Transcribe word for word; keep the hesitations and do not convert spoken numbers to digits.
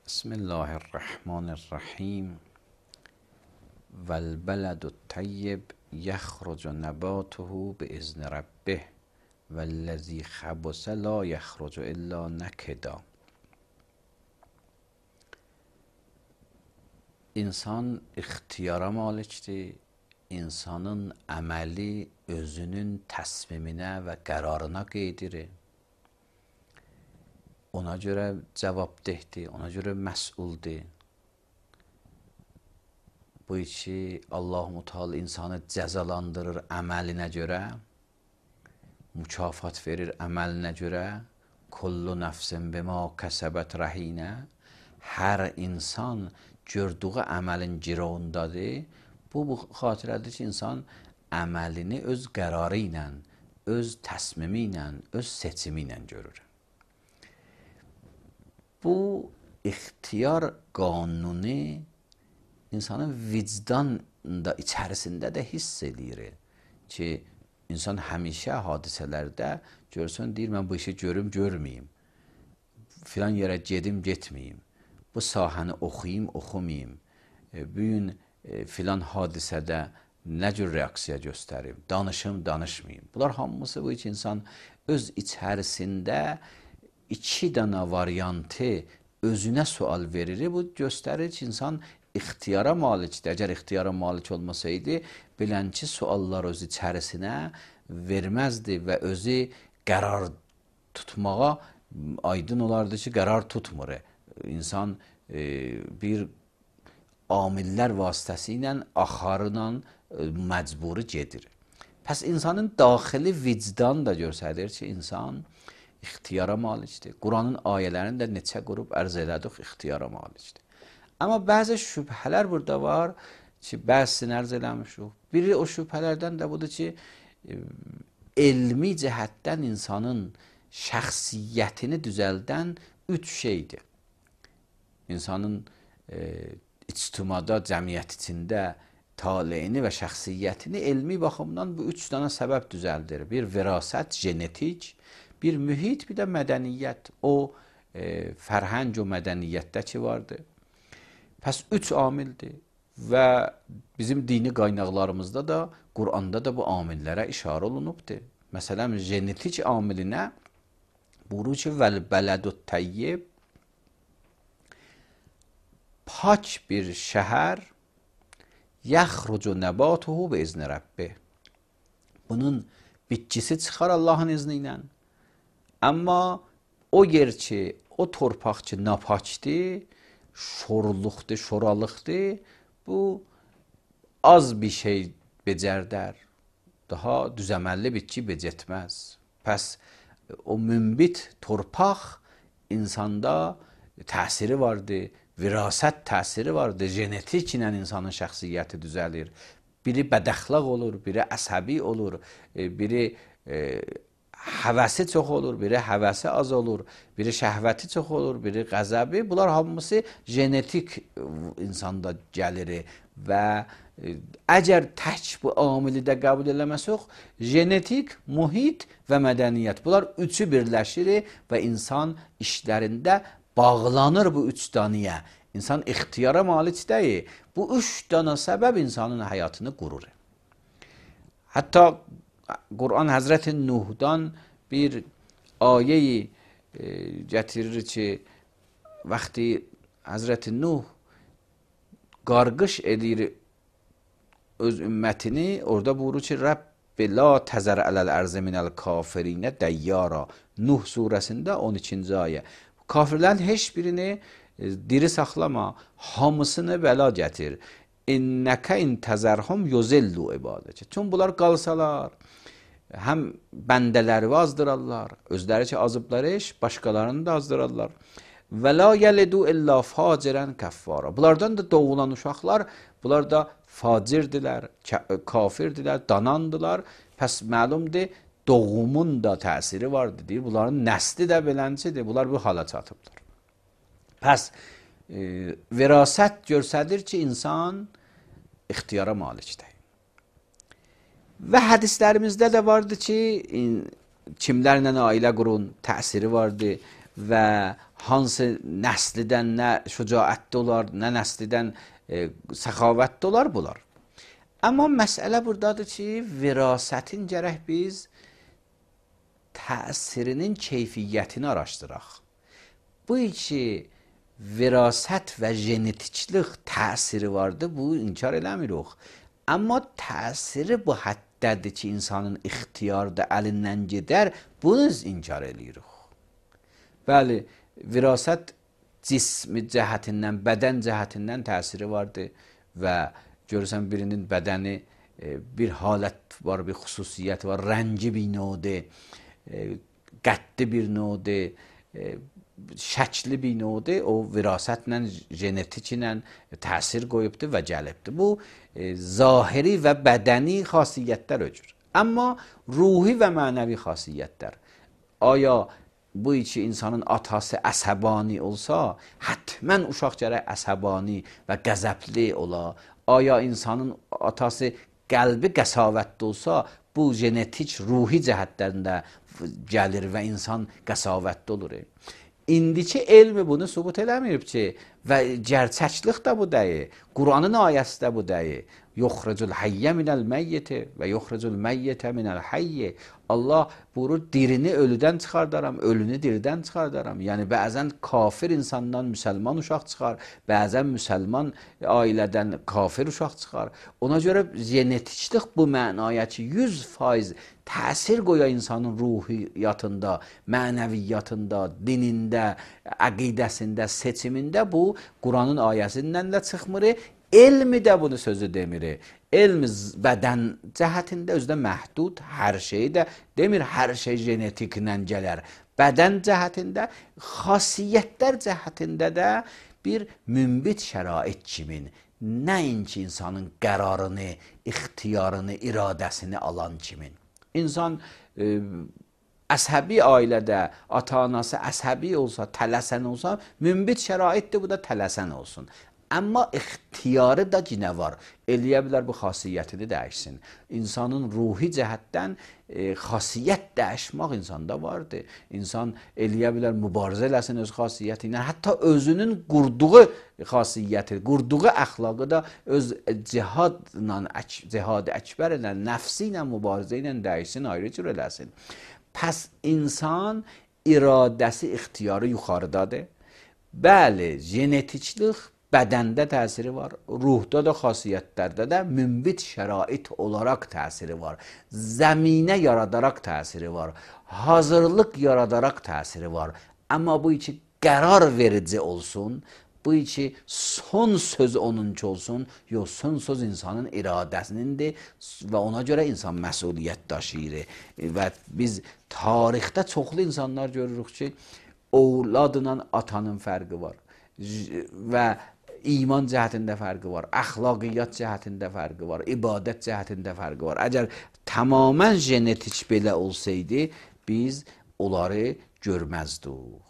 بسم الله الرحمن الرحیم و البلد الطیب یخرج نباته باذن ربه و الذی خبث لا یخرج الا نکدا. İnsan ixtiyara malikdir. İnsanın əməli özünün təsmiminə və qərarına qeydirir. Ona görə cavabdehdir, ona görə məsuldur. Bu işi Allah-u Teala insanı cəzalandırır əməlinə görə, mükafat verir əməlinə görə. Kullu nəfsin bima kəsəbət rəhinə. Hər insan gördüyü əməlin girovundadır. Bu, bu xatirədir ki, insan əməlini öz qərarı ilə, öz təsmimi ilə, öz seçimi ilə görür. Bu ixtiyar qanunu insanın vicdanında, içərisində də hiss edir ki, insan həmişə hadisələrdə görsün, deyir, mən bu işi görüm, görməyim. Filan yerə gedim, getməyim. Bu sahəni oxuyayım, oxumayım. Bu gün filan hadisədə nə cür reaksiya göstərim, danışım, danışmayım. Bunlar hamısı bu ki, insan öz içərisində iki dana variantı özünə sual verir. Bu göstərir ki, insan ixtiyara malikdir. Əgər ixtiyara malik olmasaydı, bilən ki, suallar öz içərisinə verməzdi və özü qərar tutmağa aydın olardı ki, qərar tutmur. İnsan e, bir amillər vasitəsilə, axarla e, məcburi gedir. Pəs insanın daxili vicdan da göstərir ki, insan ixtiyara malikdir. Quranın ayələrini də neçə qrup ərz elədik, ixtiyara malikdir. Amma bəzi şübhələr burada var ki, bəzisini ərz eləmişik. Biri o şübhələrdən də budur ki, e, elmi cəhətdən insanın şəxsiyyətini düzəldən üç şeydir. İnsanın e, ictimada, cəmiyyət içində taleyini və şəxsiyyətini elmi baxımdan bu üç dana səbəb düzəldir. Bir virasət, genetik, bir mühit, bir də mədəniyyət. O e, fərhəng o mədəniyyətdə ki vardır. Pəs üç amildir və bizim dini qaynaqlarımızda da, Quranda da bu amillərə işarə olunubdur. Məsələn, genetik amilinə buyurur ki, vəl-bələdut təyyib, pak bir şəhər, yəxrucu nəbatuhu bi izni Rəbbih. Bunun bitkisi çıxar Allahın izni ilə. Amma o yer ki, o torpaq ki, napakdır, şorluqdur, şoralıqdır, bu az bir şey becərdər. Daha düzəməlli bitki becətməz. Pəs o münbit torpaq insanda təsiri vardır, virasət təsiri vardır, genetik ilə insanın şəxsiyyəti düzəlir. Biri bədəxlaq olur, biri əsəbi olur, biri e, həvəsi çox olur, biri həvəsi az olur, biri şəhvəti çox olur, biri qəzəbi. Bunlar hamısı genetik insanda gəlir və əgər tək bu amili də qəbul eləməsək, genetik, mühit və mədəniyyət. Bunlar üçü birləşir və insan işlərində bağlanır bu üç danıya. İnsan ixtiyara malik deyil. Bu üç dana səbəb insanın həyatını qurur. Hətta Quran Həzrəti Nuhdan bir ayeyi e, gətirir ki, vaxtı Həzrəti Nuh qarqış edir öz ümmətini, orada buyurur ki, Rəbbi la təzər ələl ərzə minəl kafirinə dəyyara. Nuh surəsində on ikinci ayə. Kafirlərin heç birini e, diri saxlama, hamısını bəla gətir. İnnəkə in təzərhum yuzillu ibadəcə. Çünki bunlar qalsalar, həm bəndələri azdırarlar, özləri ki azıblar iş, başqalarını da azdırarlar. Və la yəlidu illa facirən kəffara. Bunlardan da doğulan uşaqlar, bunlar da facirdirlər, kafirdirlər, danandılar. Pəs məlumdur, doğumun da təsiri vardır, deyir. Bunların nəsli də beləncidir, bunlar bu hala çatıbdır. Pəs e, virasət görsədir ki, insan ixtiyara malikdir. Və hədislərimizdə də vardır ki, kimlərlə ailə qurun təsiri vardır və hansı nəslidən nə şücaətli olar, nə nəslidən e, səxavətli olar bunlar. Amma məsələ buradadır ki, virasətin gərək biz təsirinin keyfiyyətini araşdıraq. Bu iki virasət və genetiklik təsiri vardı, bu inkar eləmirik. Amma təsiri bu həddədir ki, insanın ixtiyarda əlindən gedər, bunu inkar eləyirik. Bəli, virasət cismi cəhətindən, bədən cəhətindən təsiri vardı və görürsən birinin bədəni bir halət var, bir xüsusiyyət var, rəngi bir növdir, qəddi bir növdir, şəkli bir növdir, o virasətlə, genetiklə təsir qoyubdur və gəlibdir. Bu, zahiri və bədəni xasiyyətlər öcür. Amma ruhi və mənəvi xasiyyətlər. Aya bu iki insanın atası əsəbani olsa, hətmən uşaq gərək əsəbani və qəzəbli ola. Aya insanın atası qəlbi qəsavətli olsa, bu genetik, ruhi cəhətlərində gəlir və insan qəsavətli olur. İndiki elmi bunu sübut eləməyib ki, və gerçəklik də bu deyil, Quranın ayəsi də bu deyil. Yuxricul hayyə minəl məyyiti və yuxricul məyyitə minəl hayyi. Allah buyurur, dirini ölüdən çıxardaram, ölünü diridən çıxardaram. Yəni, bəzən kafir insandan müsəlman uşaq çıxar, bəzən müsəlman ailədən kafir uşaq çıxar. Ona görə genetiklik bu mənaya ki, yüz faiz təsir qoya insanın ruhiyyatında, mənəviyyatında, dinində, əqidəsində, seçimində bu Quranın ayəsindən də çıxmır. Elmi də bunu sözü demir. Elm bədən cəhətində özdə məhdud, hər şey də demir, hər şey genetiklə gələr. Bədən cəhətində, xasiyyətlər cəhətində də bir mümbit şərait kimin, nəinki insanın qərarını, ixtiyarını, iradəsini alan kimin. İnsan e, əsəbi ailədə, ata-anası əsəbi olsa, tələsən olsa, mümbit şəraitdir, bu da tələsən olsun. Amma ixtiyarı da yine var. Eləyə bilər bu xasiyyətini dəyişsin. İnsanın ruhi cəhətdən e, xasiyyət dəyişmək insanda vardır. İnsan eləyə bilər mübarizə eləsin öz xasiyyəti ilə. Hətta özünün qurduğu xasiyyəti, qurduğu əxlaqı da öz cihadla, cihad-ı əkbər ilə, nəfsi ilə, mübarizə ilə dəyişsin, ayrı cür eləsin. Pəs insan iradəsi, ixtiyarı yuxarıdadır. Bəli, genetiklik bədəndə təsiri var, ruhda da, xasiyyətlərdə də mümbit şərait olaraq təsiri var, zəminə yaradaraq təsiri var, hazırlıq yaradaraq təsiri var. Amma bu iki qərar verici olsun, bu iki son söz onunki olsun, yox, son söz insanın iradəsinindir və ona görə insan məsuliyyət daşıyır. Və biz tarixdə çoxlu insanlar görürük ki, ovladla atanın fərqi var və iman cəhətində fərqi var, əxlaqiyyat cəhətində fərqi var, ibadət cəhətində fərqi var. Əgər tamamən genetik belə olsaydı, biz onları görməzdik.